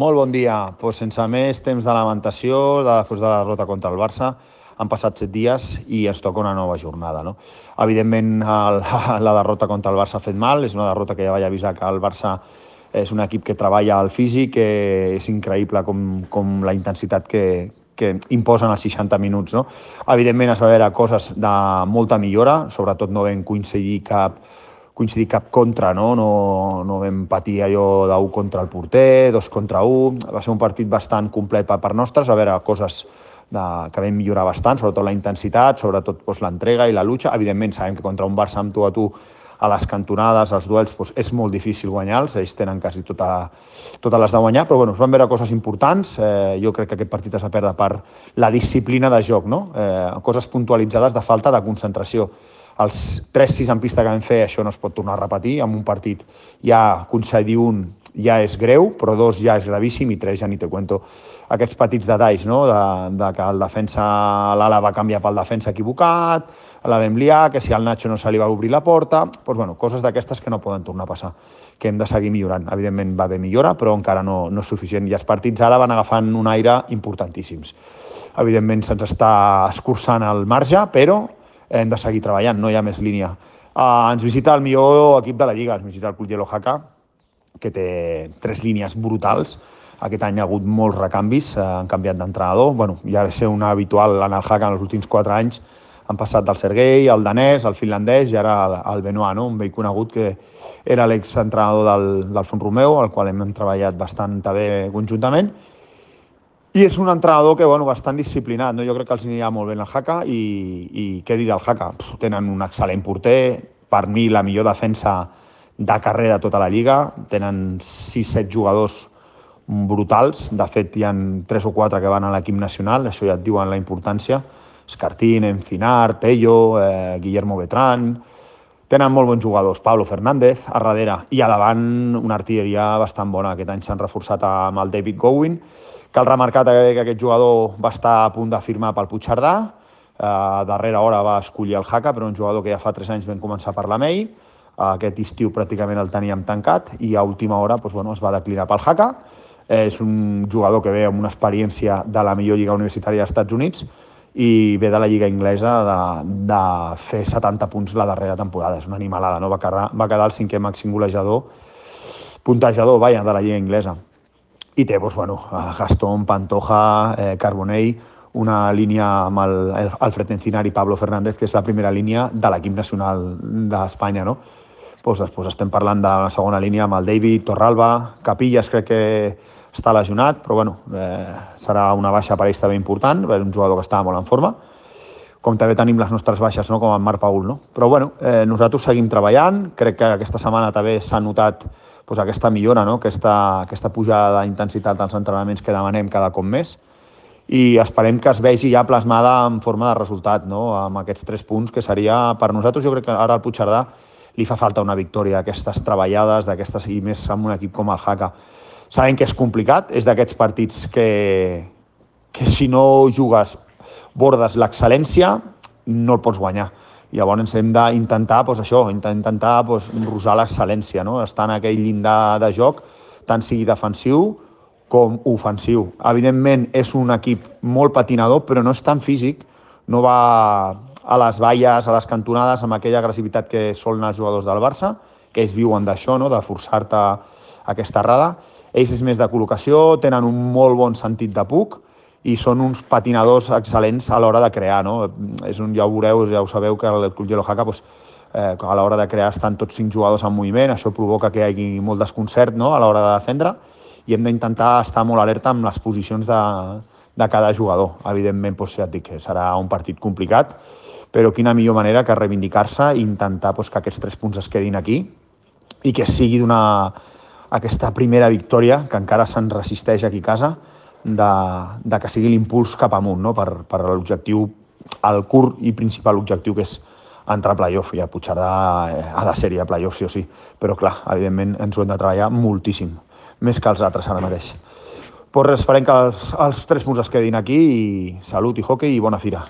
Molt bon dia. Sense més temps de lamentació, després de la derrota contra el Barça, han passat 7 dies i ens toca una nova jornada. No? Evidentment, la derrota contra el Barça ha fet mal, és una derrota que ja vaig avisar que el Barça és un equip que treballa al físic, que és increïble com la intensitat que imposen els 60 minuts. No? Evidentment, es va veure coses de molta millora, sobretot no vam coincidir cap contra, no vam patir allò d'1 contra el porter, 2 contra 1, va ser un partit bastant complet per part nostra, a veure coses que vam millorar bastant, sobretot la intensitat, sobretot l'entrega i la lucha. Evidentment sabem que contra un Barça amb tu a tu a les cantonades, als duels, és molt difícil guanyar-los, ells tenen quasi totes les de guanyar, però es van veure coses importants, jo crec que aquest partit es va perdre per la disciplina de joc, no? Coses puntualitzades de falta de concentració. Els 3-6 en pista que vam fer, això no es pot tornar a repetir. En un partit ja concedir un ja és greu, però 2 ja és gravíssim i 3 ja ni te cuento. Aquests petits detalls, no? de que el defensa, l'ala va canviar pel defensa equivocat, la vam liar, que si al Nacho no se li va obrir la porta, coses d'aquestes que no poden tornar a passar, que hem de seguir millorant. Evidentment va haver millora, però encara no és suficient. I els partits ara van agafant un aire importantíssims. Evidentment se'ns està escurçant el marge, però hem de seguir treballant, no hi ha més línia. Ens visita el millor equip de la Lliga, ens visita el Club Yellow Jaca, que té 3 línies brutals. Aquest any ha hagut molts recanvis, han canviat d'entrenador. Ja va ser un habitual en el Jaca en els últims 4 anys. Han passat del Sergei, el danès, el finlandès i ara el Benoit, no? Un vell conegut que era l'exentrenador del Font Romeu, al qual hem treballat bastant bé conjuntament. I és un entrenador que, bastant disciplinat, no? Jo crec que els anirà molt bé el Jaca i què dir del Jaca? Tenen un excel·lent porter, per mi la millor defensa de carrer de tota la Lliga, tenen 6-7 jugadors brutals, de fet hi ha 3 o 4 que van a l'equip nacional, això ja et diuen la importància, Escartín, Encinar, Tello, Guillermo Betrán, tenen molt bons jugadors, Pablo Fernández a darrere, i a davant una artilleria bastant bona. Aquest any s'han reforçat amb el David Gowin. Cal remarcar que aquest jugador va estar a punt de firmar pel Puigcerdà, a darrera hora va escollir el Jaca, però un jugador que ja fa 3 anys vam començar a parlar amb ell, aquest estiu pràcticament el teníem tancat i a última hora es va declinar pel Jaca. És un jugador que ve amb una experiència de la millor lliga universitària dels Estats Units i ve de la lliga inglesa de fer 70 punts la darrera temporada. És una animalada, no? Va quedar el 5è màxim puntejador de la lliga inglesa. I té, Gastón, Pantoja, Carbonell, una línia amb Alfred Encinar i Pablo Fernández, que és la primera línia de l'equip nacional d'Espanya, no? Després estem parlant de la segona línia amb el David, Torralba, Capillas crec que està lesionat, però serà una baixa per ells també important, un jugador que estava molt en forma, com també tenim les nostres baixes, no? Com en Marc Paul. No? Però nosaltres seguim treballant, crec que aquesta setmana també s'ha notat aquesta millora, no? aquesta pujada d'intensitat dels entrenaments que demanem cada cop més, i esperem que es vegi ja plasmada en forma de resultat, no? Amb aquests 3 punts, que seria per nosaltres, jo crec que ara al Puigcerdà li fa falta una victòria, aquestes treballades, i més amb un equip com el Jaca. Sabem que és complicat, és d'aquests partits que si no jugues, bordes l'excel·lència, no el pots guanyar. Llavors hem d'intentar intentar rosar l'excel·lència, no? Estar en aquell llindar de joc, tant sigui defensiu com ofensiu. Evidentment és un equip molt patinador, però no és tan físic, no va a les valles, a les cantonades, amb aquella agressivitat que solen els jugadors del Barça, que ells viuen d'això, no? De forçar-te aquesta errada. Ells és més de col·locació, tenen un molt bon sentit de puc i són uns patinadors excel·lents a l'hora de crear, no? Ja ho veureu, ja ho sabeu, que el Club Yellow Jaca a l'hora de crear estan tots 5 jugadors en moviment, això provoca que hi hagi molt desconcert, no? A l'hora de defendre, i hem d'intentar estar molt alerta amb les posicions de cada jugador. Evidentment, ja et dic que serà un partit complicat, però quina millor manera que reivindicar-se i intentar que aquests 3 punts es quedin aquí i que sigui aquesta primera victòria, que encara se'n resisteix aquí a casa, de que sigui l'impuls cap amunt, no? Per l'objectiu, el curt i principal objectiu, que és entrar a playoff. I a Puigcerdà ha de ser-hi a playoff, sí o sí. Però clar, evidentment ens ho hem de treballar moltíssim, més que els altres ara mateix. Esperem que els 3 punts es quedin aquí i salut i hockey i bona fira.